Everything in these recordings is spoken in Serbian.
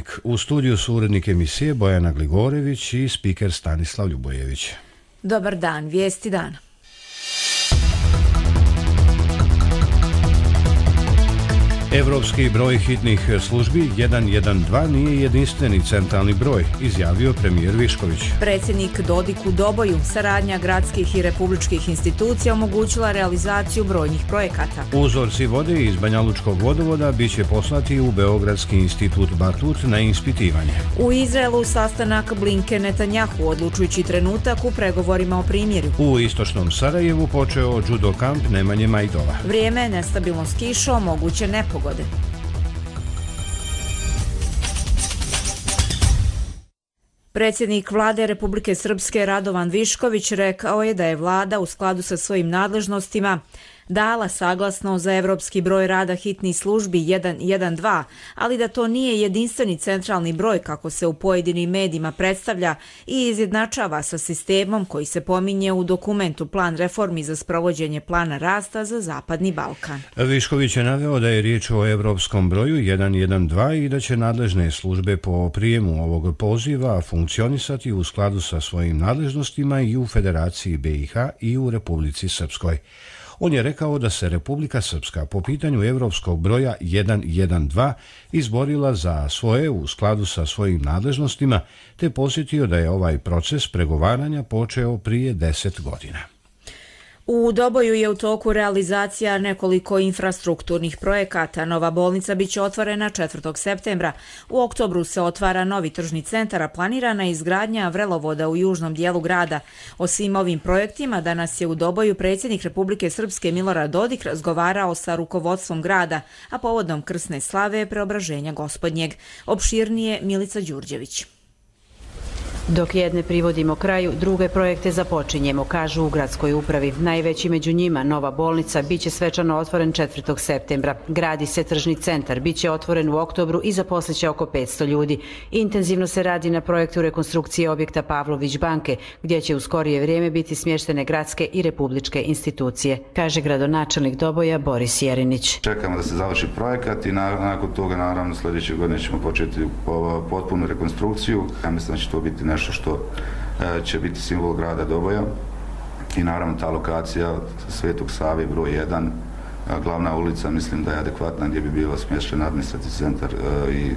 Dnevnik. U studiju su urednik emisije Bojana Gligorević i spiker Stanislav Ljubojević. Dobar dan, vijesti dana. Evropski broj hitnih službi 112 nije jedinstveni centralni broj, izjavio premijer Višković. Predsjednik Dodik u Doboju, saradnja gradskih i republičkih institucija omogućila realizaciju brojnih projekata. Uzorci vode iz Banjalučkog vodovoda biće poslati u Beogradski institut Batut na ispitivanje. U Izraelu sastanak Blinken-Netanjahu, odlučujući trenutak u pregovorima o primirju. U istočnom Sarajevu počeo judo kamp Nemanje Majdova. Vrijeme, nestabilno s kišom, moguće nepogode. Predsjednik Vlade Republike Srpske Radovan Višković rekao je da je vlada u skladu sa svojim nadležnostima dala saglasnost za evropski broj rada hitnih službi 112, ali da to nije jedinstveni centralni broj kako se u pojedinim medijima predstavlja i izjednačava sa sistemom koji se pominje u dokumentu Plan reformi za sprovođenje plana rasta za Zapadni Balkan. Višković je naveo da je riječ o evropskom broju 112 i da će nadležne službe po prijemu ovog poziva funkcionisati u skladu sa svojim nadležnostima i u Federaciji BiH i u Republici Srpskoj. On je rekao da se Republika Srpska po pitanju evropskog broja 112 izborila za svoje u skladu sa svojim nadležnostima, te posjetio da je ovaj proces pregovaranja počeo prije 10 godina. U Doboju je u toku realizacija nekoliko infrastrukturnih projekata. Nova bolnica biće otvorena 4. septembra. U oktobru se otvara novi tržni centar, a planirana je izgradnja vrelovoda u južnom dijelu grada. O svim ovim projektima danas je u Doboju predsjednik Republike Srpske Milorad Dodik razgovarao sa rukovodstvom grada, a povodom krsne slave Preobraženja Gospodnjeg. Opširnije Milica Đurđević. Dok jedne privodimo kraju, druge projekte započinjemo, kažu u gradskoj upravi. Najveći među njima, nova bolnica, biće svečano otvoren 4. septembra. Gradi se tržni centar, biće otvoren u oktobru i zaposliće oko 500 ljudi. Intenzivno se radi na projektu rekonstrukcije objekta Pavlović banke, gdje će u skorije vrijeme biti smještene gradske i republičke institucije, kaže gradonačelnik Doboja Boris Jerinić. Čekamo da se završi projekat i nakon toga, naravno, sljedeće godine ćemo početi potpunu rekonstrukciju. Ja mislim da će to biti nešto što će biti simbol grada Doboja i naravno ta lokacija Svetog Save broj 1, glavna ulica, mislim da je adekvatna gdje bi bilo smješten administrativni centar i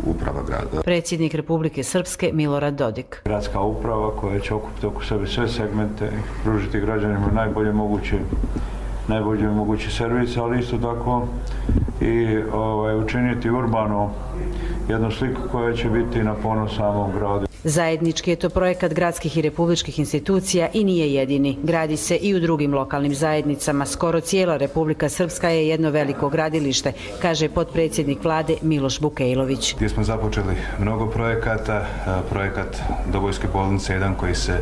uprava grada. Predsjednik Republike Srpske Milorad Dodik. Gradska uprava koja će okupiti oko sebe sve segmente i pružiti građanima najbolje mogući servis, ali isto tako i učiniti urbano jednu sliku koja će biti na ponos samom gradu. Zajednički je to projekat gradskih i republičkih institucija i nije jedini. Gradi se i u drugim lokalnim zajednicama. Skoro cijela Republika Srpska je jedno veliko gradilište, kaže potpredsjednik vlade Miloš Bukejlović. Gdje smo započeli mnogo projekata, projekat Dobojske bolnice 1 koji se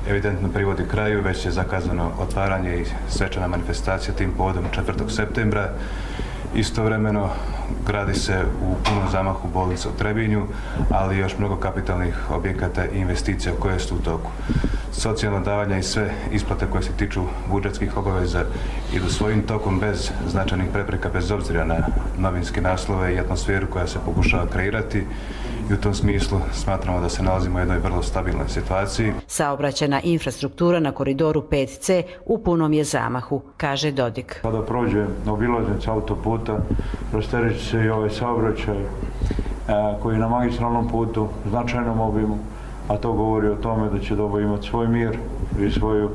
evidentno privodi kraju, već je zakazano otvaranje i svečana manifestacija tim povodom 4. septembra. Istovremeno gradi se u punom zamahu bolnica u Trebinju, ali još mnogo kapitalnih objekata i investicija koje su u toku. Socijalna davanja i sve isplate koje se tiču budžetskih obaveza idu svojim tokom bez značajnih prepreka, bez obzira na novinske naslove i atmosferu koja se pokušava kreirati. I u tom smislu smatramo da se nalazimo u jednoj vrlo stabilnoj situaciji. Saobraćajna infrastruktura na koridoru 5C u punom je zamahu, kaže Dodik. Kada prođe obilaznica autoputa, rastereći se i ovaj saobraćaj koji je na magistralnom putu, značajnom obimu, a to govori o tome da će Doboj imati svoj mir i svoju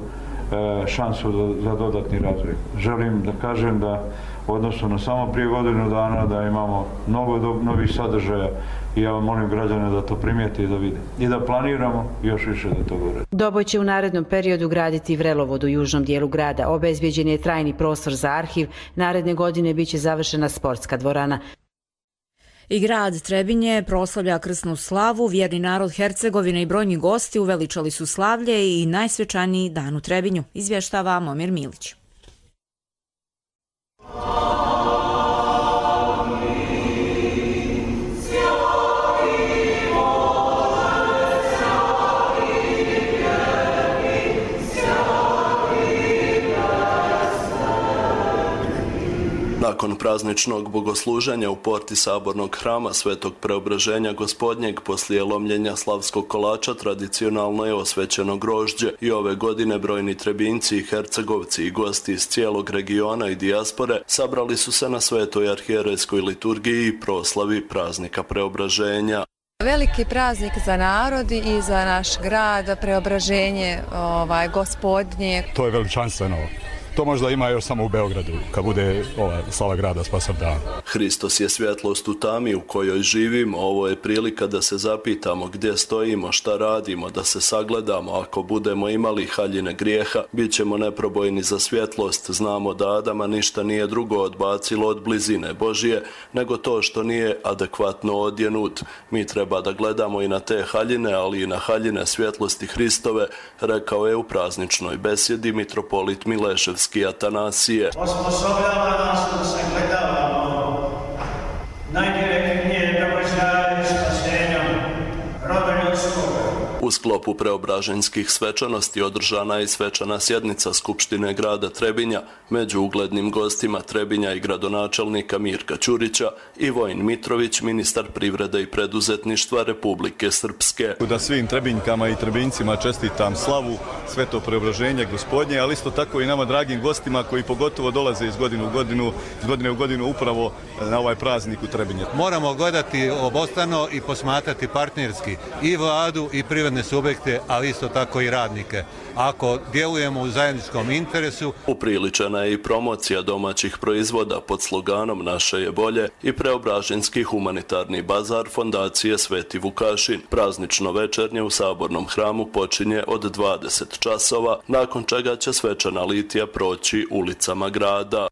šansu za dodatni razvoj. Želim da kažem da u odnosu na samo prije godinu dana da imamo mnogo novih sadržaja i ja vam molim građane da to primijete i da vide. I da planiramo još više da to gore. Doboj će u narednom periodu graditi vrelovod u južnom dijelu grada. Obezbjeđen je trajni prostor za arhiv. Naredne godine biće završena sportska dvorana. I grad Trebinje proslavlja krsnu slavu, vjerni narod Hercegovine i brojni gosti uveličali su slavlje i najsvečaniji dan u Trebinju, izvještava Momir Milić. Na Nakon prazničnog bogosluženja u porti sabornog hrama Svetog Preobraženja Gospodnjeg poslije lomljenja slavskog kolača tradicionalno je osvećeno grožđe i ove godine brojni Trebinjci i Hercegovci i gosti iz cijelog regiona i dijaspore sabrali su se na Svetoj arhijerejskoj liturgiji i proslavi praznika Preobraženja. Veliki praznik za narod i za naš grad, Preobraženje Gospodnje. To je veličanstveno. To možda ima još samo u Beogradu, kad bude slava grada Spasav dan. Hristos je svjetlost u tami u kojoj živimo. Ovo je prilika da se zapitamo gdje stojimo, šta radimo, da se sagledamo. Ako budemo imali haljine grijeha, bit ćemo neprobojni za svjetlost. Znamo da Adama ništa nije drugo odbacilo od blizine Božije, nego to što nije adekvatno odjenut. Mi treba da gledamo i na te haljine, ali i na haljine svjetlosti Hristove, rekao je u prazničnoj besjedi mitropolit Mileševski Atanasije. Osposobljava nas da se gledavamo najdirektnije događaje spasenja roda ljudskog. U sklopu preobraženjskih svečanosti održana je i svečana sjednica Skupštine grada Trebinja, među uglednim gostima Trebinja i gradonačelnika Mirka Ćurića i Vojin Mitrović, ministar privrede i preduzetništva Republike Srpske. Da svim Trebinjkama i Trebinjcima čestitam slavu, sveto preobraženje Gospodnje, ali isto tako i nama dragim gostima koji pogotovo dolaze iz godine u godinu upravo na ovaj praznik u Trebinje. Moramo gledati obostrano i posmatrati partnerski i vladu i privredne subjekte, ali isto tako i radnike. Ako djelujemo u zajedničkom interesu. Upriličena je i promocija domaćih proizvoda pod sloganom Naše je bolje i preobraženjski humanitarni bazar fondacije Sveti Vukašin. Praznično večernje u sabornom hramu počinje od 20 časova, nakon čega će svečana litija proći ulicama grada.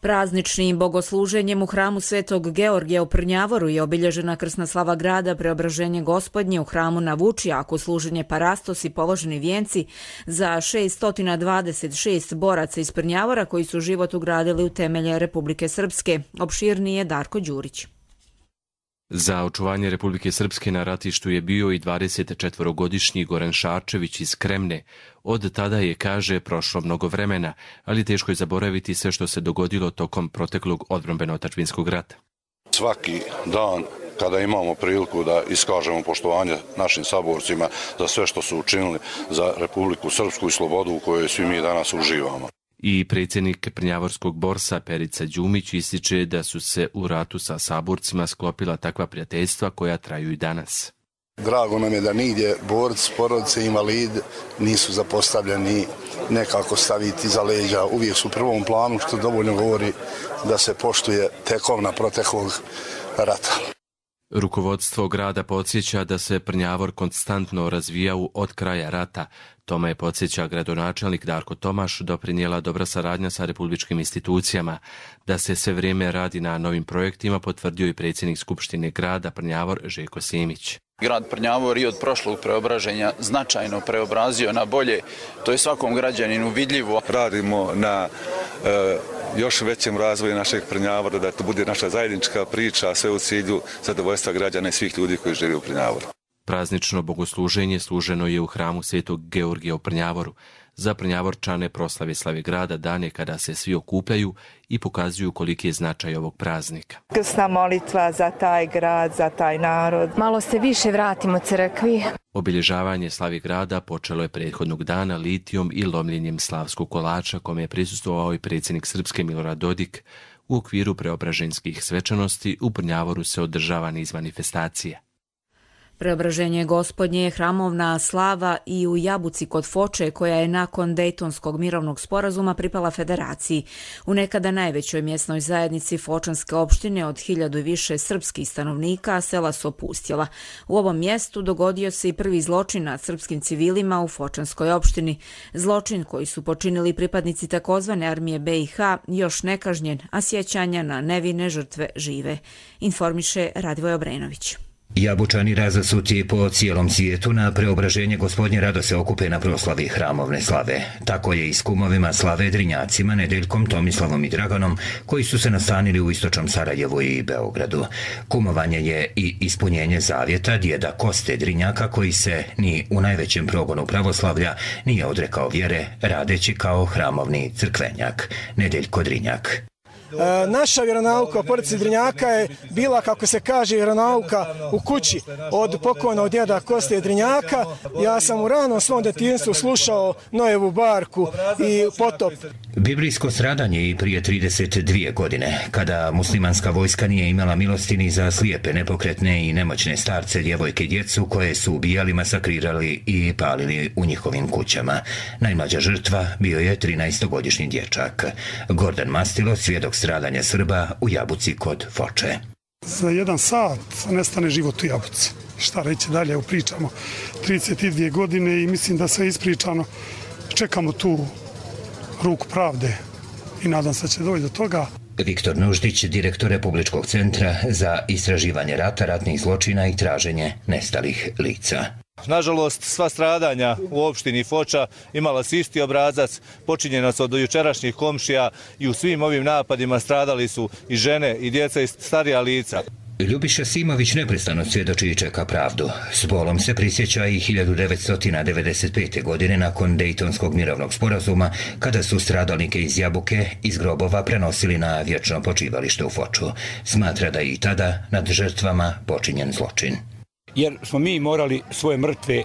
Prazničnim bogosluženjem u hramu Svetog Georgija u Prnjavoru je obilježena krsna slava grada Preobraženje Gospodnje u hramu na Vučijaku, služenje parastos i položeni vijenci za 626 boraca iz Prnjavora koji su život ugradili u temelje Republike Srpske. Opširnije Darko Đurić. Za očuvanje Republike Srpske na ratištu je bio i 24-godišnji Goran Šarčević iz Kremne. Od tada je, kaže, prošlo mnogo vremena, ali teško je zaboraviti sve što se dogodilo tokom proteklog odbrambeno-otadžbinskog rata. Svaki dan kada imamo priliku da iskažemo poštovanje našim saborcima za sve što su učinili za Republiku Srpsku i slobodu u kojoj svi mi danas uživamo. I predsjednik Prnjavorskog borsa Perica Đumić ističe da su se u ratu sa saborcima sklopila takva prijateljstva koja traju i danas. Drago nam je da nigdje borci, porodice, invalid nisu zapostavljeni nekako staviti za leđa. Uvijek su u prvom planu, što dovoljno govori da se poštuje tekovna proteklog rata. Rukovodstvo grada podsjeća da se Prnjavor konstantno razvijao od kraja rata. Tome je, podsjeća gradonačelnik Darko Tomaš, doprinijela dobra saradnja sa republičkim institucijama. Da se sve vrijeme radi na novim projektima, potvrdio i predsjednik Skupštine grada Prnjavor Željko Simić. Grad Prnjavor i od prošlog preobraženja značajno preobrazio na bolje. To je svakom građaninu vidljivo. Radimo na još većem razvoju našeg Prnjavora, da to bude naša zajednička priča, sve u cilju zadovoljstva građana i svih ljudi koji žive u Prnjavoru. Praznično bogosluženje služeno je u hramu Svetog Georgija u Prnjavoru. Za Prnjavorčane proslave slave grada dan je kada se svi okupljaju i pokazuju koliki je značaj ovog praznika. Krsna molitva za taj grad, za taj narod. Malo se više vratimo crkvi. Obilježavanje slavi grada počelo je prethodnog dana litijom i lomljenjem slavskog kolača, kome je prisustvovao i predsjednik Srpske Milorad Dodik. U okviru preobraženjskih svečanosti u Prnjavoru se održava niz manifestacija. Preobraženje Gospodnje je hramovna slava i u Jabuci kod Foče, koja je nakon Dejtonskog mirovnog sporazuma pripala federaciji. U nekada najvećoj mjesnoj zajednici Fočanske opštine od 1000 i više srpskih stanovnika sela su opustjela. U ovom mjestu dogodio se i prvi zločin nad srpskim civilima u Fočanskoj opštini. Zločin koji su počinili pripadnici takozvane armije BiH još nekažnjen, a sjećanja na nevine žrtve žive. Informiše Radivoj Obrenović. Jabučani razasuti po cijelom svijetu na preobraženje Gospodnje rado se okupe na proslavi hramovne slave. Tako je i s kumovima slave Drinjacima, Nedeljkom, Tomislavom i Draganom, koji su se nastanili u istočnom Sarajevu i Beogradu. Kumovanje je i ispunjenje zavjeta djeda Koste Drinjaka, koji se ni u najvećem progonu pravoslavlja nije odrekao vjere, radeći kao hramovni crkvenjak. Nedeljko Drinjak. Naša vjeronauka u porodici Drinjaka je bila, kako se kaže, vjeronauka u kući od pokojnog djeda Koste Drinjaka. Ja sam u ranom svom djetinjstvu slušao Nojevu barku i Potop. Biblijsko stradanje i prije 32 godine, kada muslimanska vojska nije imala milosti ni za slijepe, nepokretne i nemoćne starce, djevojke i djecu koje su ubijali, masakrirali i palili u njihovim kućama. Najmlađa žrtva bio je 13-godišnji dječak. Gordan Mastilo, svjedok stradanja Srba u Jabuci kod Foče. Za 1 sat nestane život u Jabuci. Šta reći dalje, pričamo 32 godine i mislim da sve ispričano. Čekamo tu ruku pravde i nadam se da će doći do toga. Viktor Nuždić, direktor Republičkog centra za istraživanje rata, ratnih zločina i traženje nestalih lica. Nažalost, sva stradanja u opštini Foča imala su isti obrazac, počinjena su od jučerašnjih komšija i u svim ovim napadima stradali su i žene i djeca i starija lica. Ljubiša Simović neprestano svjedoči i čeka pravdu. S bolom se prisjeća i 1995. godine nakon Dejtonskog mirovnog sporazuma, kada su stradalnike iz Jabuke iz grobova prenosili na vječno počivalište u Foču. Smatra da je i tada nad žrtvama počinjen zločin. Jer smo mi morali svoje mrtve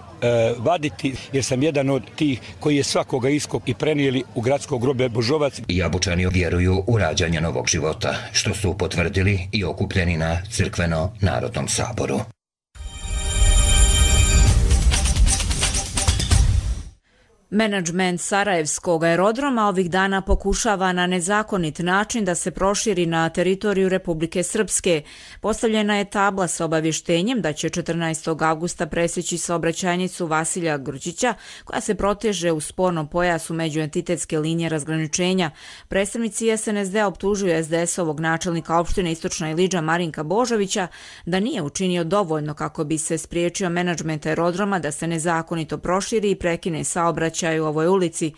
vaditi, jer sam jedan od tih koji je svakoga iskop i prenijeli u gradsko groblje Božovac. Jabučani vjeruju u rađanje novog života, što su potvrdili i okupljeni na crkveno-narodnom saboru. Menadžment Sarajevskog aerodroma ovih dana pokušava na nezakonit način da se proširi na teritoriju Republike Srpske. Postavljena je tabla sa obavještenjem da će 14. avgusta presjeći saobraćajnicu Vasilja Grčića, koja se proteže u spornom pojasu međuentitetske linije razgraničenja. Predstavnici SNSD optužuju SDS-ovog načelnika opštine Istočna Ilidža Marinka Božovića da nije učinio dovoljno kako bi se spriječio menadžment aerodroma da se nezakonito proširi i prekine saobraćaj u ovoj ulici.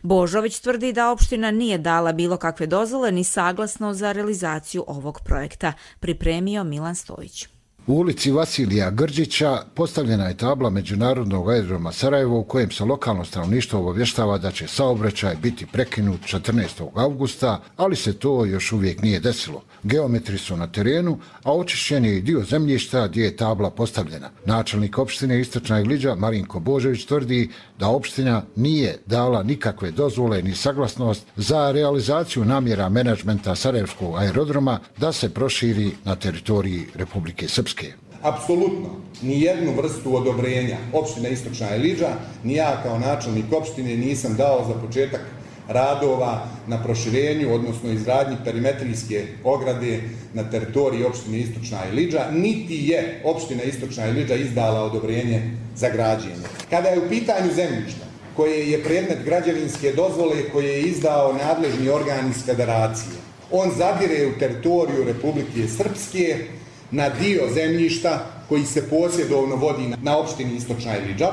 Božović tvrdi da opština nije dala bilo kakve dozvole ni saglasno za realizaciju ovog projekta. Pripremio Milan Stojić. U ulici Vasilija Grčića postavljena je tabla Međunarodnog aerodroma Sarajevo u kojem se lokalno stanovništvo obavještava da će saobraćaj biti prekinut 14. avgusta, ali se to još uvijek nije desilo. Geometri su na terenu, a očišćen je i dio zemljišta gdje je tabla postavljena. Načelnik opštine Istočna Ilidža Marinko Božović tvrdi da opština nije dala nikakve dozvole ni saglasnost za realizaciju namjera menadžmenta Sarajevskog aerodroma da se proširi na teritoriji Republike Srpske. Apsolutno, ni jednu vrstu odobrenja opština Istočna Ilidža, ni ja kao načelnik opštine nisam dao za početak radova na proširenju, odnosno izgradnji perimetrijske ograde na teritoriji opštine Istočna Ilidža, niti je opština Istočna Ilidža izdala odobrenje za građenje. Kada je u pitanju zemljišta koje je predmet građevinske dozvole koje je izdao nadležni organ iz federacije, on zadire u teritoriju Republike Srpske na dio zemljišta koji se posjedovno vodi na opštini Istočna Ilidža.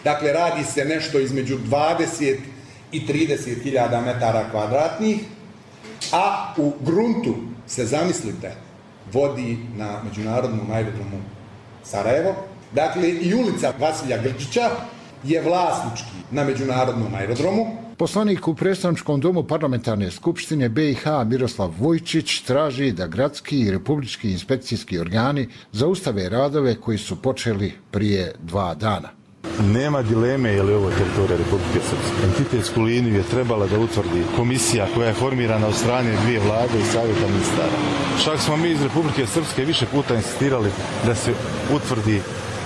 Dakle, radi se nešto između 20 i 30.000 metara kvadratnih, a u gruntu se, zamislite, vodi na Međunarodnom aerodromu Sarajevo. Dakle, i ulica Vasilja Grčića je vlasnički na Međunarodnom aerodromu. Poslanik u predstavničkom domu parlamentarne skupštine BiH Miroslav Vujčić traži da gradski i republički inspekcijski organi zaustave radove koji su počeli prije 2 dana. Nema dileme je li ovo teritorija Republike Srpske. Entitetsku liniju je trebala da utvrdi komisija koja je formirana od strane 2 vlade i savjeta ministara. Čak smo mi iz Republike Srpske više puta insistirali da se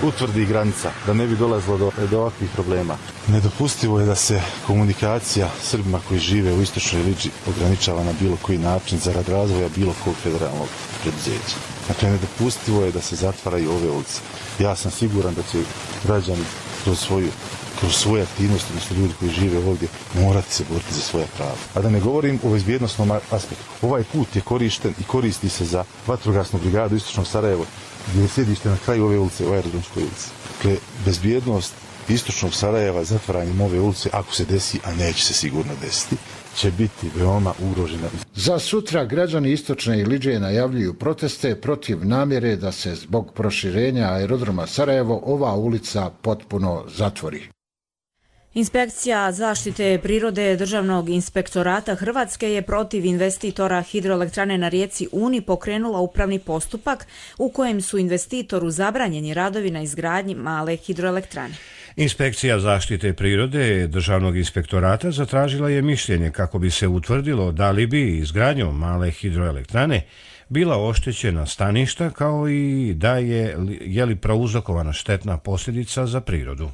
utvrdi granica, da ne bi dolazilo do ovakvih problema. Nedopustivo je da se komunikacija Srbima koji žive u Istočnoj Ilidži ograničava na bilo koji način zarad razvoja bilo kog federalnog preduzeća. Dakle, nedopustivo je da se zatvaraju ove ulice. Ja sam siguran da će građani kroz svoje aktivnosti, odnosno ljudi koji žive ovdje, morati se boriti za svoja prava. A da ne govorim o bezbjednosnom aspektu. Ovaj put je korišten i koristi se za vatrogasnu brigadu Istočnog Sarajeva, gdje je sjedište na kraju ove ulice, u Aerodromskoj ulici. Dakle, bezbjednost Istočnog Sarajeva zatvaranjem ove ulice, ako se desi, a neće se sigurno desiti, će biti veoma ugrožena. Za sutra građani Istočne Ilidže najavljuju proteste protiv namjere da se zbog proširenja aerodroma Sarajevo ova ulica potpuno zatvori. Inspekcija zaštite prirode Državnog inspektorata Hrvatske je protiv investitora hidroelektrane na rijeci Uni pokrenula upravni postupak u kojem su investitoru zabranjeni radovi na izgradnji male hidroelektrane. Inspekcija zaštite prirode Državnog inspektorata zatražila je mišljenje kako bi se utvrdilo da li bi izgradnjom male hidroelektrane bila oštećena staništa kao i da je li prouzrokovana štetna posljedica za prirodu.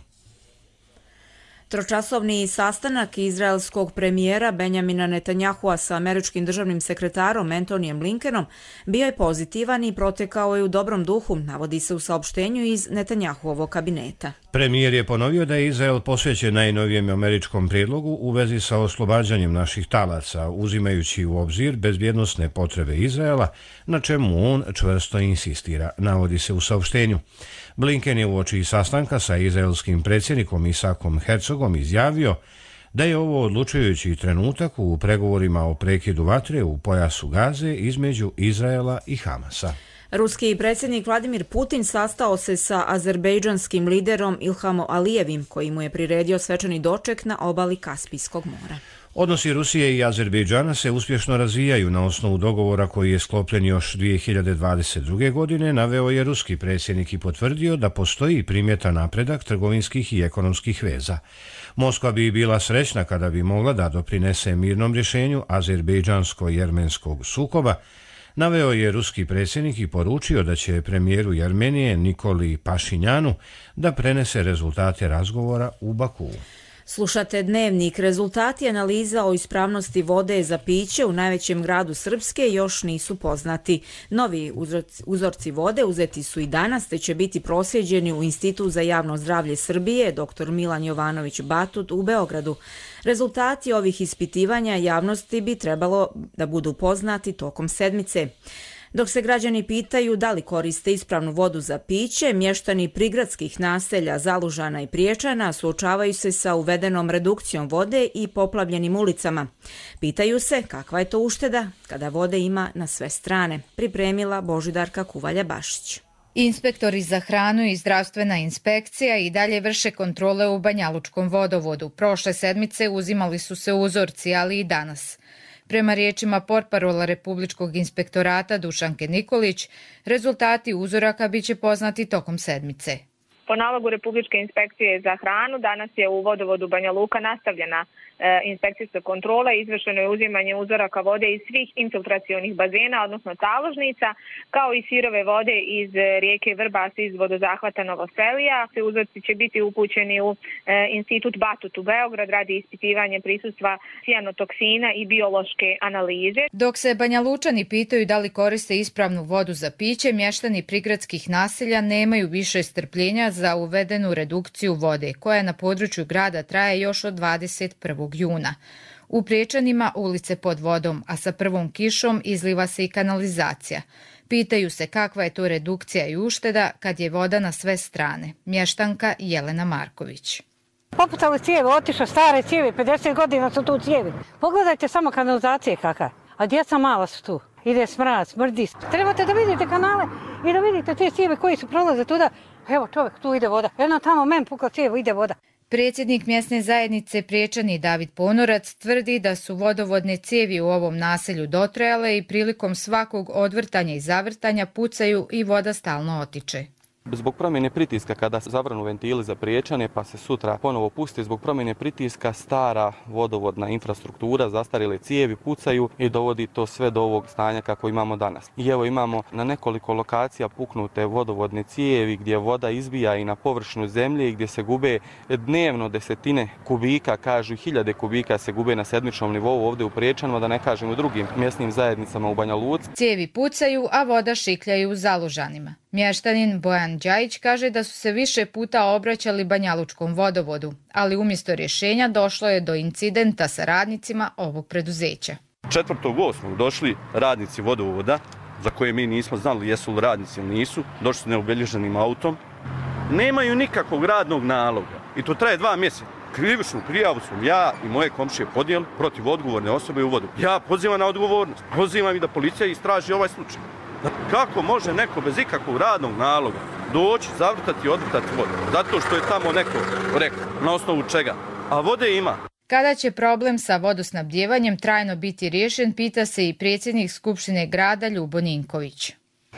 Tročasovni sastanak izraelskog premijera Benjamina Netanjahua sa američkim državnim sekretarom Antonijem Blinkenom bio je pozitivan i protekao je u dobrom duhu, navodi se u saopštenju iz Netanjahuovog kabineta. Premijer je ponovio da je Izrael posvećen najnovijem američkom prijedlogu u vezi sa oslobađanjem naših talaca, uzimajući u obzir bezbjednosne potrebe Izraela, na čemu on čvrsto insistira, navodi se u saopštenju. Blinken je uoči sastanka sa izraelskim predsjednikom Isakom Herzogom izjavio da je ovo odlučujući trenutak u pregovorima o prekidu vatre u pojasu Gaze između Izraela i Hamasa. Ruski predsjednik Vladimir Putin sastao se sa azerbejdžanskim liderom Ilhamom Alijevim, koji mu je priredio svečani doček na obali Kaspijskog mora. Odnosi Rusije i Azerbejdžana se uspješno razvijaju na osnovu dogovora koji je sklopljen još 2022. godine, naveo je ruski predsjednik i potvrdio da postoji primjetan napredak trgovinskih i ekonomskih veza. Moskva bi bila srećna kada bi mogla da doprinese mirnom rješenju azerbejdžansko-jermenskog sukoba, naveo je ruski predsjednik i poručio da će premijeru Jermenije Nikoli Pašinjanu da prenese rezultate razgovora u Bakuu. Slušate Dnevnik. Rezultati analiza o ispravnosti vode za piće u najvećem gradu Srpske još nisu poznati. Novi uzorci vode uzeti su i danas, te će biti proslijeđeni u Institut za javno zdravlje Srbije, dr. Milan Jovanović Batut u Beogradu. Rezultati ovih ispitivanja javnosti bi trebalo da budu poznati tokom sedmice. Dok se građani pitaju da li koriste ispravnu vodu za piće, mještani prigradskih naselja Zalužana i Priječana suočavaju se sa uvedenom redukcijom vode i poplavljenim ulicama. Pitaju se kakva je to ušteda kada vode ima na sve strane. Pripremila Božidarka Kuvalja-Bašić. Inspektori za hranu i zdravstvena inspekcija i dalje vrše kontrole u Banjalučkom vodovodu. Prošle sedmice uzimali su se uzorci, ali i danas. Prema riječima portparola Republičkog inspektorata Dušanke Nikolić, rezultati uzoraka biće poznati tokom sedmice. Po nalogu Republičke inspekcije za hranu danas je u vodovodu Banja Luka nastavljena inspekcijska kontrola, izvršeno je uzimanje uzoraka vode iz svih infiltracionih bazena, odnosno taložnica, kao i sirove vode iz rijeke Vrbas iz vodozahvata Novoselija. Uzorci će biti upućeni u Institut Batut u Beograd radi ispitivanja prisustvacijanotoksina i biološke analize. Dok se Banjalučani pitaju da li koriste ispravnu vodu za piće, mještani prigradskih naselja nemaju više strpljenja za uvedenu redukciju vode, koja na području grada traje još od 21. juna. U Priječanima ulice pod vodom, a sa prvom kišom izliva se i kanalizacija. Pitaju se kakva je to redukcija i ušteda kad je voda na sve strane. Mještanka Jelena Marković. Popucali cijevi, otišao stare cijevi, 50 godina su tu cijevi. Pogledajte samo kanalizacije kakva, a djeca mala su tu. Ide smrad, smrdi. Trebate da vidite kanale i da vidite te cijevi koji su prolaze tuda. Evo čovjek, tu ide voda. Jedno tamo men pukao cijevo, ide voda. Predsjednik mjesne zajednice Priječani David Ponorac tvrdi da su vodovodne cijevi u ovom naselju dotrajale i prilikom svakog odvrtanja i zavrtanja pucaju i voda stalno otiče. Zbog promjene pritiska kada zavrnu ventili za Priječane pa se sutra ponovo pusti, zbog promjene pritiska stara vodovodna infrastruktura, zastarjele cijevi pucaju i dovodi to sve do ovog stanja kako imamo danas. I evo imamo na nekoliko lokacija puknute vodovodne cijevi gdje voda izbija i na površinu zemlje i gdje se gube dnevno desetine kubika, kažu hiljade kubika se gube na sedmičnom nivou ovdje u Priječanima, da ne kažem u drugim mjesnim zajednicama u Banja Luci. Cijevi pucaju, a voda šikljaju u Zalužanima. Mještanin Bojan Đajić kaže da su se više puta obraćali Banjalučkom vodovodu, ali umjesto rješenja došlo je do incidenta sa radnicima ovog preduzeća. 4.8. došli radnici vodovoda, za koje mi nismo znali jesu li radnici ili nisu, došli su neobilježenim autom. Nemaju nikakvog radnog naloga i to traje 2 mjeseca. Krivičnu prijavu smo ja i moje komšije podijeli protiv odgovorne osobe u vodu. Ja pozivam na odgovornost, pozivam i da policija istraži ovaj slučaj. Kako može neko bez ikakvog radnog naloga doći, zavrtati i odvrtati vodu? Zato što je tamo neko rekao. Na osnovu čega? a vode ima. Kada će problem sa vodosnabdjevanjem trajno biti riješen, pita se i predsjednik Skupštine grada Ljubo Ninković.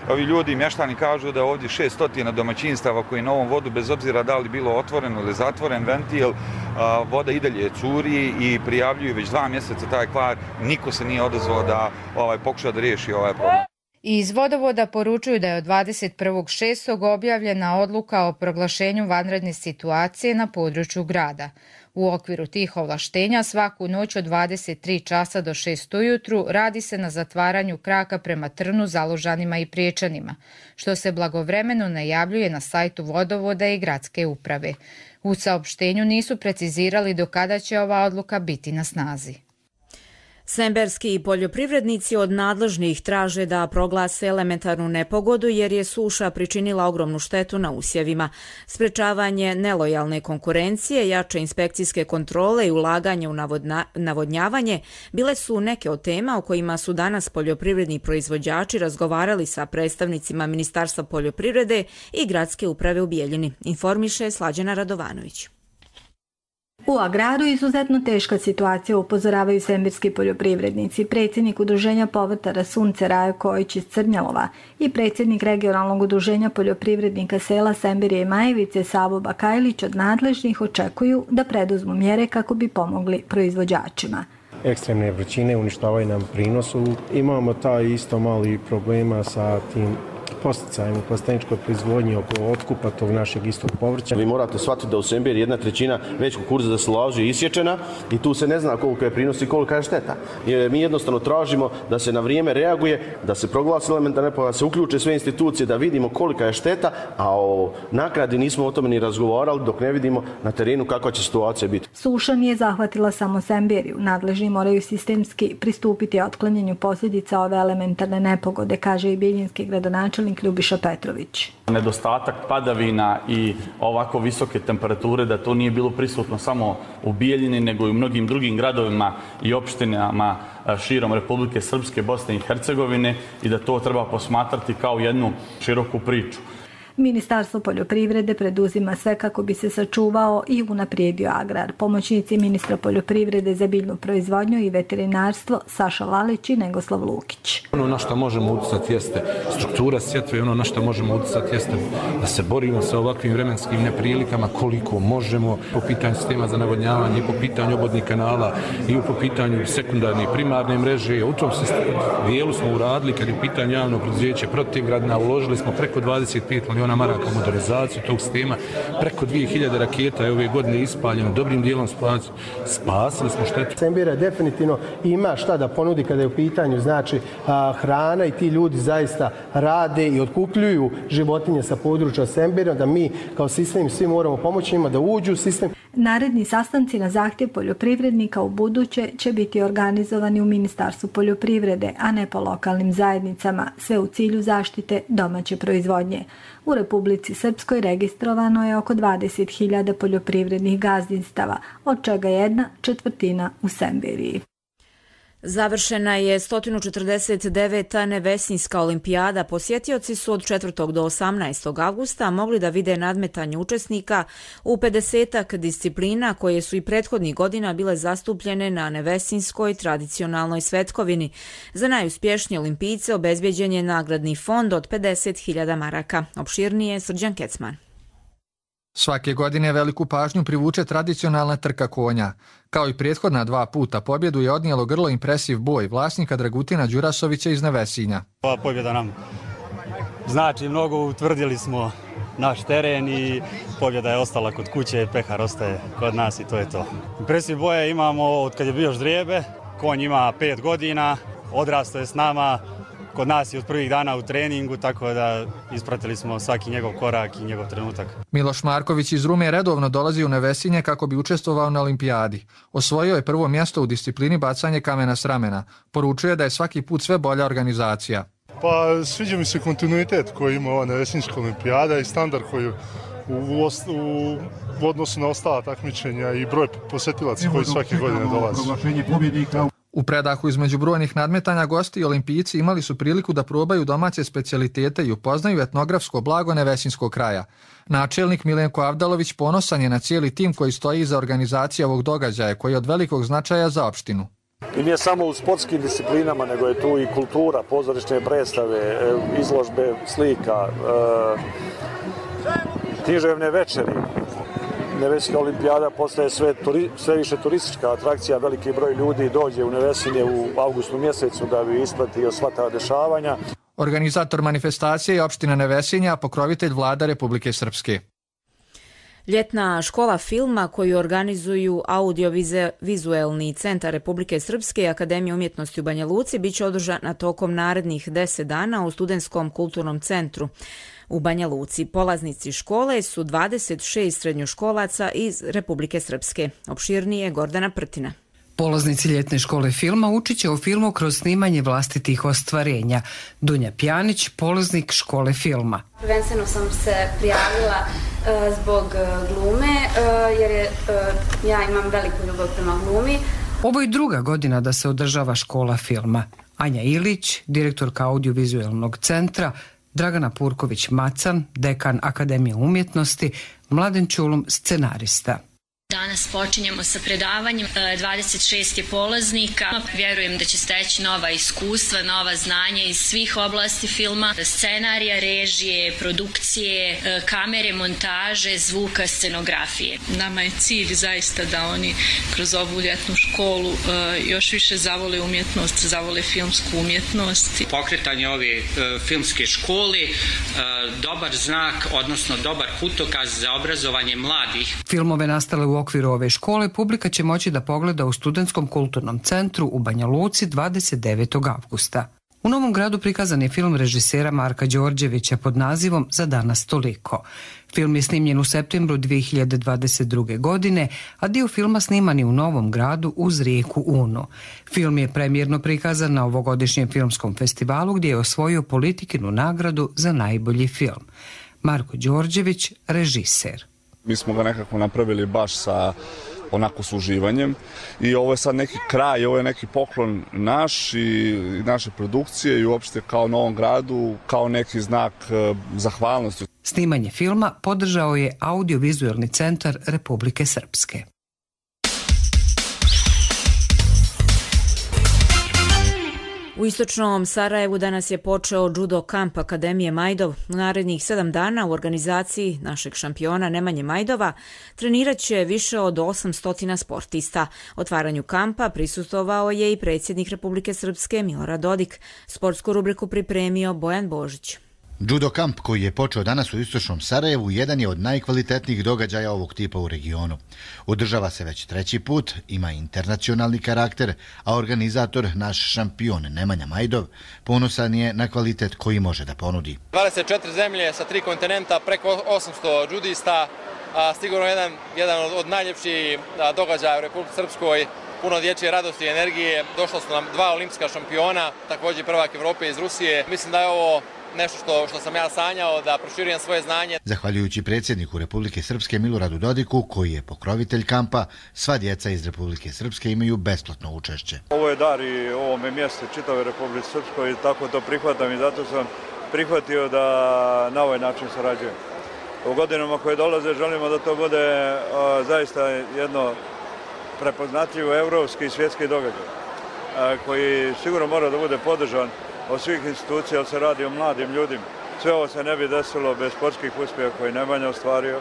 Ovi ljudi, mještani, kažu da ovdje 600 domaćinstava koji na ovom vodu, bez obzira da li bilo otvoreno ili zatvoren ventil, voda i dalje curi i prijavljuju već 2 mjeseca taj kvar. Niko se nije odazvao da pokuša da riješi ovaj problem. Iz vodovoda poručuju da je od 21.6. objavljena odluka o proglašenju vanredne situacije na području grada. U okviru tih ovlaštenja svaku noć od 23 časa do 6 ujutru radi se na zatvaranju kraka prema Trnu, Zalužanima i Priječanima, što se blagovremeno najavljuje na sajtu vodovoda i gradske uprave. U saopštenju nisu precizirali do kada će ova odluka biti na snazi. Semberski poljoprivrednici od nadležnih traže da proglase elementarnu nepogodu jer je suša pričinila ogromnu štetu na usjevima. Sprečavanje nelojalne konkurencije, jače inspekcijske kontrole i ulaganje u navodnjavanje bile su neke od tema o kojima su danas poljoprivredni proizvođači razgovarali sa predstavnicima Ministarstva poljoprivrede i gradske uprave u Bijeljini, informiše Slađana Radovanović. U agraru izuzetno teška situacija, upozoravaju semberski poljoprivrednici. Predsjednik udruženja povrtara Sunce Rajo Kojić iz Crnjalova i predsjednik regionalnog udruženja poljoprivrednika sela Semberije i Majevice Savo Bakajlić od nadležnih očekuju da preduzmu mjere kako bi pomogli proizvođačima. Ekstremne vrućine uništavaju nam prinosu. Imamo taj isto mali problema sa tim posticajem u plasteničkoj proizvodnji oko otkupa tog našeg istog povrća. Vi morate shvatiti da u Semberiji 1/3 već kukuruza za silažu je isječena i tu se ne zna koliko je prinos i kolika je šteta. Mi jednostavno tražimo da se na vrijeme reaguje, da se proglasi elementarna nepogoda, da se uključe sve institucije, da vidimo kolika je šteta, a o naknadi nismo o tome ni razgovarali dok ne vidimo na terenu kakva će situacija biti. Suša nije zahvatila samo Semberiju. Nadležni moraju sistemski pristupiti otklanjanju posljedica ove elementarne nepogode, kaže i bijeljinski gradonačelnik Ljubiša Petrović. Nedostatak padavina i ovako visoke temperature, da to nije bilo prisutno samo u Bijeljini, nego i u mnogim drugim gradovima i opštinama širom Republike Srpske, Bosne i Hercegovine i da to treba posmatrati kao jednu široku priču. Ministarstvo poljoprivrede preduzima sve kako bi se sačuvao i unaprijedio agrar. Pomoćnici ministra poljoprivrede za biljnu proizvodnju i veterinarstvo Saša Lalić i Negoslav Lukić. Ono na što možemo utjecati jeste struktura sjetve, ono na što možemo utjecati jeste da se borimo sa ovakvim vremenskim neprilikama koliko možemo po pitanju sistema za navodnjavanje i po pitanju obodnih kanala i po pitanju sekundarne i primarne mreže. U tom dijelu smo uradili kad je u pitanju javno preduzeće Protivgradna, uložili smo preko 25 milijuna maraka u modernizaciju tog sistema, preko 2000 raketa je ove godine ispaljeno, dobrim dijelom spasili smo štetu. Semberija definitivno ima šta da ponudi kada je u pitanju znači hrana i ti ljudi zaista rade i otkupljuju životinje sa područja Semberija, da mi kao sistem svi moramo pomoći njima da uđu u sistem. Naredni sastanci na zahtjev poljoprivrednika u buduće će biti organizovani u Ministarstvu poljoprivrede, a ne po lokalnim zajednicama, sve u cilju zaštite domaće proizvodnje. U Republici Srpskoj registrovano je oko 20.000 poljoprivrednih gazdinstava, od čega 1/4 u Semberiji. Završena je 149. Nevesinjska olimpijada. Posjetioci su od 4. do 18. avgusta mogli da vide nadmetanje učesnika u 50 disciplina koje su i prethodnih godina bile zastupljene na Nevesinjskoj tradicionalnoj svetkovini. Za najuspješnije olimpijce obezbjeđen je nagradni fond od 50.000 maraka. Opširnije Srđan Kecman. Svake godine veliku pažnju privuče tradicionalna trka konja. Kao i prethodna 2 puta pobjedu je odnijelo grlo impresiv boj vlasnika Dragutina Đurasovića iz Nevesinja. Ova pobjeda nam znači mnogo, utvrdili smo naš teren i pobjeda je ostala kod kuće, pehar ostaje kod nas i to je to. Impresiv boje imamo od kad je bio ždrijebe, konj ima 5 godina, odrastao je s nama. Kod nas je od prvih dana u treningu, tako da ispratili smo svaki njegov korak i njegov trenutak. Miloš Marković iz Rume redovno dolazi u Nevesinje kako bi učestvovao na olimpijadi. Osvojio je prvo mjesto u disciplini bacanje kamena s ramena. Poručuje da je svaki put sve bolja organizacija. Pa sviđa mi se kontinuitet koji ima ova Nevesinjska olimpijada i standard koji u odnosu na ostala takmičenja i broj posjetilaca koji svake godine dolazi. U predahu između brojnih nadmetanja gosti i olimpijci imali su priliku da probaju domaće specijalitete i upoznaju etnografsko blago Nevesinskog kraja. Načelnik Milenko Avdalović ponosan je na cijeli tim koji stoji iza organizacije ovog događaja, koji je od velikog značaja za opštinu. I nije samo u sportskim disciplinama, nego je tu i kultura, pozorišne predstave, izložbe slika, književne večeri. Nevesinska olimpijada postaje sve više turistička atrakcija, veliki broj ljudi dođe u Nevesinje u avgustu mjesecu da bi ispratio sva ta dešavanja. Organizator manifestacije je opština Nevesinja, a pokrovitelj Vlada Republike Srpske. Ljetna škola filma koju organizuju Audiovizuelni centar Republike Srpske i Akademija umjetnosti u Banja Luci biće održana tokom narednih 10 dana u Studentskom kulturnom centru u Banja Luci. Polaznici škole su 26 srednjoškolaca iz Republike Srpske. Opširnije Gordana Prtina. Polaznici ljetne škole filma učit će o filmu kroz snimanje vlastitih ostvarenja. Dunja Pjanić, polaznik škole filma. Prvenstveno sam se prijavila zbog glume, jer ja imam veliku ljubav prema glumi. Ovo je druga godina da se održava škola filma. Anja Ilić, direktorka Audiovizuelnog centra, Dragana Purković-Macan, dekan Akademije umjetnosti, Mladen Čulum, scenarista. Danas počinjemo sa predavanjem, 26 je polaznika. Vjerujem da će steći nova iskustva, nova znanja iz svih oblasti filma, scenarija, režije, produkcije, kamere, montaže, zvuka, scenografije. Nama je cilj zaista da oni kroz ovu ljetnu školu još više zavole umjetnost, zavole filmsku umjetnost. Pokretanje ove filmske škole, dobar znak, odnosno dobar putokaz za obrazovanje mladih. Filmove nastale u okviru ove škole publika će moći da pogleda u Studentskom kulturnom centru u Banja Luci 29. avgusta. U Novom Gradu prikazan je film režisera Marka Đorđevića pod nazivom Za danas toliko. Film je snimljen u septembru 2022. godine, a dio filma sniman je u Novom Gradu uz rijeku Unu. Film je premijerno prikazan na ovogodišnjem filmskom festivalu gdje je osvojio Politikinu nagradu za najbolji film. Marko Đorđević, režiser. Mi smo ga nekako napravili baš sa onako s uživanjem i ovo je sad neki kraj, ovo je neki poklon naš i naše produkcije i uopšte kao Novom Gradu, kao neki znak zahvalnosti. Snimanje filma podržao je Audiovizuelni centar Republike Srpske. U istočnom Sarajevu danas je počeo judo kamp Akademije Majdov. U narednih 7 dana u organizaciji našeg šampiona Nemanje Majdova trenirat će više od 800 sportista. Otvaranju kampa prisustvovao je i predsjednik Republike Srpske Milorad Dodik. Sportsku rubriku pripremio Bojan Božić. Judo kamp koji je počeo danas u istočnom Sarajevu jedan je od najkvalitetnijih događaja ovog tipa u regionu. Održava se već 3. put, ima internacionalni karakter, a organizator, naš šampion Nemanja Majdov, ponosan je na kvalitet koji može da ponudi. 24 zemlje sa 3 kontinenta, preko 800 judista, sigurno jedan od najljepših događaja u Republike Srpskoj, puno dječje radosti i energije. Došla su nam 2 olimpijska šampiona, također prvak Evrope iz Rusije. Mislim da je ovo nešto što sam ja sanjao, da proširujem svoje znanje. Zahvaljujući predsjedniku Republike Srpske Miloradu Dodiku, koji je pokrovitelj kampa, sva djeca iz Republike Srpske imaju besplatno učešće. Ovo je dar i ovome mjestu čitave Republike Srpskoj i tako to prihvatam i zato sam prihvatio da na ovaj način sarađujem. U godinama koje dolaze želimo da to bude zaista jedno prepoznatljivo evropski i svjetski događaj koji sigurno mora da bude podržan od svih institucija, se radi o mladim ljudima. Sve ovo se ne bi desilo bez sportskih uspjeha koje Nemanja ostvario,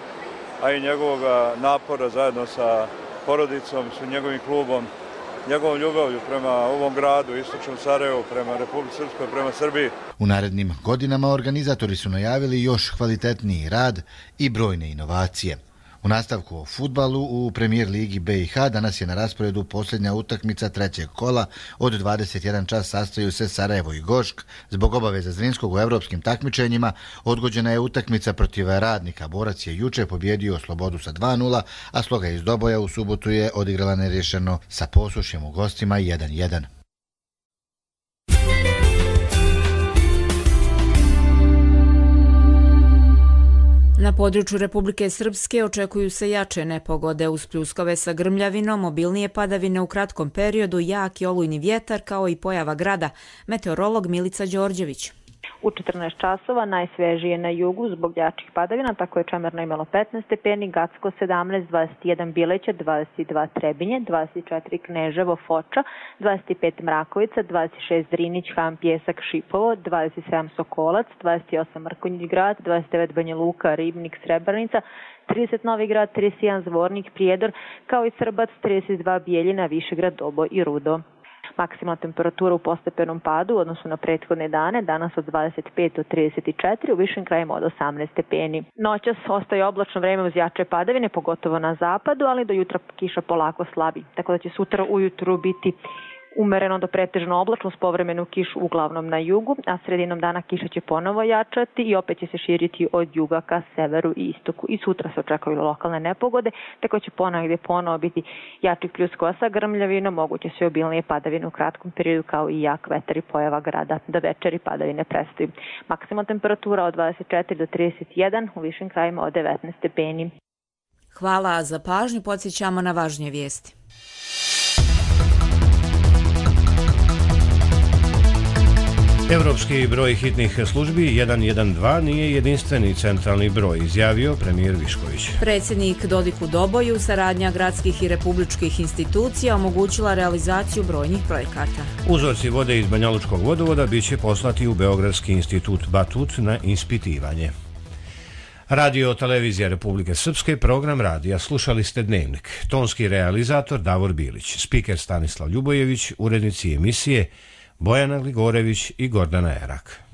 a i njegovog napora zajedno sa porodicom, sa njegovim klubom, njegovom ljubavlju prema ovom gradu, istočnom Sarajevu, prema Republike Srpskoj, prema Srbiji. U narednim godinama organizatori su najavili još kvalitetniji rad i brojne inovacije. U nastavku o fudbalu u Premijer ligi BiH danas je na rasporedu posljednja utakmica 3. kola. Od 21 čas sastaju se Sarajevo i Gošk. Zbog obaveza Zrinskog u evropskim takmičenjima odgođena je utakmica protiv Radnika. Borac je juče pobjedio Slobodu sa 2:0, a Sloga iz Doboja u subotu je odigrala nerješeno sa Posušjem u gostima 1:1. Na području Republike Srpske očekuju se jače nepogode uz pljuskove sa grmljavinom, obilnije padavine u kratkom periodu, jak i olujni vjetar kao i pojava grada. Meteorolog Milica Đorđević. U 14 časova najsvežije na jugu zbog jačih padavina, tako je Čemerno imalo 15 stepeni, Gacko 17, 21 Bileća, 22 Trebinje, 24 Kneževo, Foča, 25 Mrakovica, 26 Drinić, Ham, Pjesak, Šipovo, 27 Sokolac, 28 Mrkonjić grad, 29 Banja Luka, Ribnik, Srebrenica, 30 Novi grad, 31 Zvornik, Prijedor, kao i Srbac, 32 Bijeljina, Višegrad, Dobo i Rudo. Maksimalna temperatura u postepenom padu u odnosu na prethodne dane, danas od 25 do 34, u višim krajima od 18 stepeni. Noćas ostaje oblačno vreme uz jače padavine, pogotovo na zapadu, ali do jutra kiša polako slabi. Tako da će sutra ujutru biti umereno do pretežno oblačno s povremenu kišu uglavnom na jugu, a sredinom dana kiša će ponovo jačati i opet će se širiti od juga ka severu i istoku. I sutra se očekuju lokalne nepogode, tako će ponovo biti jačih pljuskova sa grmljavinom, moguće su obilnije padavine u kratkom periodu kao i jak vetar i pojava grada. Do večeri padavine prestaju. Maksimalna temperatura od 24 do 31, u višim krajima od 19 stepeni. Hvala za pažnju, podsjećamo na važnije vijesti. Evropski broj hitnih službi 112 nije jedinstveni centralni broj, izjavio premijer Višković. Predsjednik Dodik u Doboju, saradnja gradskih i republičkih institucija omogućila realizaciju brojnih projekata. Uzorci vode iz Banjalučkog vodovoda biće poslati u Beogradski institut Batut na ispitivanje. Radio televizija Republike Srpske, program radija. Slušali ste Dnevnik. Tonski realizator Davor Bilić, spiker Stanislav Ljubojević, urednici emisije Bojana Gligorević i Gordana Erak.